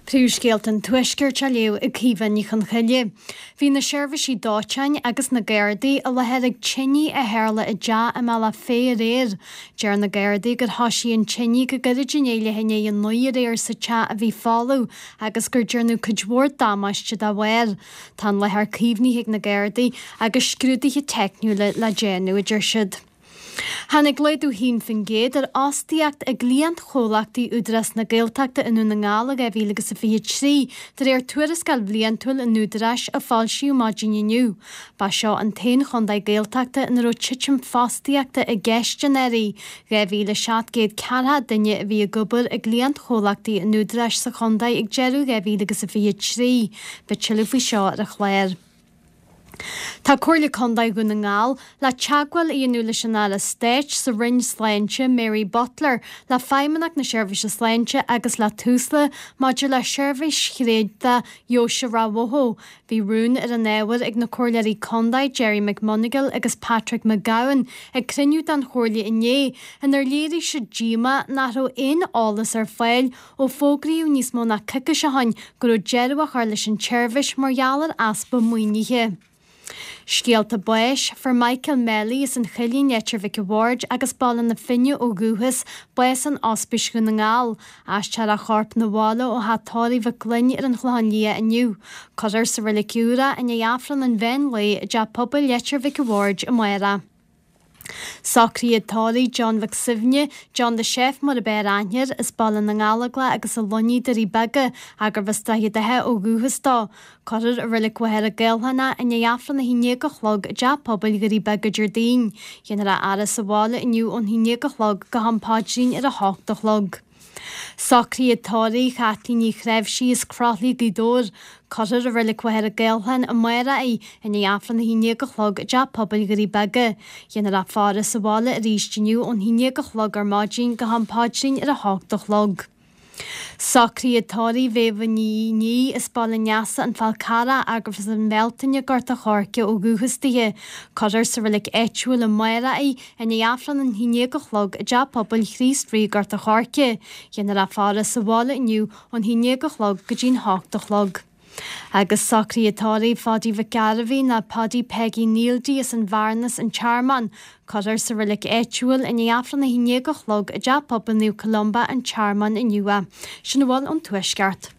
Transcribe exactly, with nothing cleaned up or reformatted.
Príomhscéalta an Tuaiscirt á léamh ag Caoimhe Ní Chonchoille. Bhí na seirbhísí dóiteáin agus na Gardaí i láthair ag tine a tharla i dteach i mBealach Féich aréir. Deir na Gardaí gur thosaigh an tine go gairid i ndiaidh leath i ndiaidh a naoi aréir sa teach a bhí folamh agus gur déanadh cuid mhór damáiste dá bharr. Tá an láthair caomhnaithe ag na Gardaí agus scrúduithe teicniúla le déanamh, a deir siad. Tháinig laghdú haon faoin gcéad ar fhostaíocht i gcliantchomhlachtaí Údarás na Gaeltachta i nDún na nGall i dhá mhíle agus a fiche trí, de réir tuarascáil bhliantúil an Údaráis a foilsíodh maidin inniu. Ba seo an t-aon chontae Gaeltachta ina raibh titim fostaíochta i gceist anuraidh. dhá mhíle seacht gcéad ceathracha duine a bhí ag obair i gcliantchomhlachtaí an Údaráis sa chontae ag deireadh dhá mhíle agus a fiche trí. Beidh tuilleadh faoi seo ar an chlár. Tá Comhairle Contae Dhún na nGall le teagmháil a dhéanamh leis an Aire Stáit sa Roinn Sláinte, Mary Butler, le Feidhmeannacht na Seirbhíse Sláinte agus le Tusla maidir le seirbhís thréadach Dheoise Ráth Bhoth. Bhí rún ar an ábhar ag na Comhairleoirí Contae Gerry McMonagle agus Patrick McGowan ag cruinniú den Chomhairle inné inar léirigh siad díomá nach raibh aon eolas ar fáil ó fógraíodh níos mó ná coicís ó shin go raibh deireadh á chur leis an tseirbhís mar gheall ar easpa maoinithe. Scéalta báis, Fuair Michael Melly as an Choillín, Leitir Mhic a' Bhaird agus Baile na Finne ó dhúchas, bás in Ospís Dhún na nGall. Aistreofar a chorp 'na bhaile ó theach tórraimh Mhic Gloinn ar an Chlochán Liath inniu. Cuirfear sa Reilig Úr é i ndiaidh Aifreann an mheán lae i dTeach Pobail Leitir Mhic a' Bhaird amárach. Socruithe tórraimh John Mhic Suibhne, John the Chef mar ab fhearr aithne air, as Baile na nGallóglach agus a Lonnaí, Doirí Beaga, gurbh as Droichead Átha ó dhúchas dó. Cuirfear i Reilig Mhachaire Gathlán é i ndiaidh Aifreann a haon déag a chlog i dTeach Pobail Dhoirí Beaga Déardaoin. Déanfar a fhaire sa bhaile inniu ón haon déag a chlog go ham paidrín ar a hocht a chlog. Socruithe tórraimh Chaitlín Ní Chreimhsí as Croithlí, Gaoth Dobhair. Cuirfear i Reilig Mhachaire Gathlán amárach í i ndiaidh Aifreann a haon déag a chlog i dTeach Pobail Dhoirí Beaga. Déanfar a faire sa bhaile arís inniu ón haon déag a chlog ar maidin go ham paidrín ar a hocht a chlog. Socruithe tórraimh Mhéabha Ní Ní as Baile an Easa, An Fál Carrach, gurbh as an Bhealtaine, Gort a' Choirce ó dhúchas di. Cuirfear sa reilig áitiúil amárach í i ndiaidh Aifreann an haon déag a chlog i dTeach Pobail Chríost Rí, Gort a' Choirce. Déanfar a faire sa bhaile inniu ón haon déag a chlog go dtí'n hocht a chlog. Agus socruithe tórraimh Pháidí Mhic Gairbhí ná Paddy Peggy Neildy as an Bhearnas an Tearmann. Cuirfear sa reilig áitiúil i ndiaidh Aifreann a haon déag a chlog i dTeach Pobail Naomh Columba an Tearmann inniu é. Sin a bhfuil ón Tuaisceart.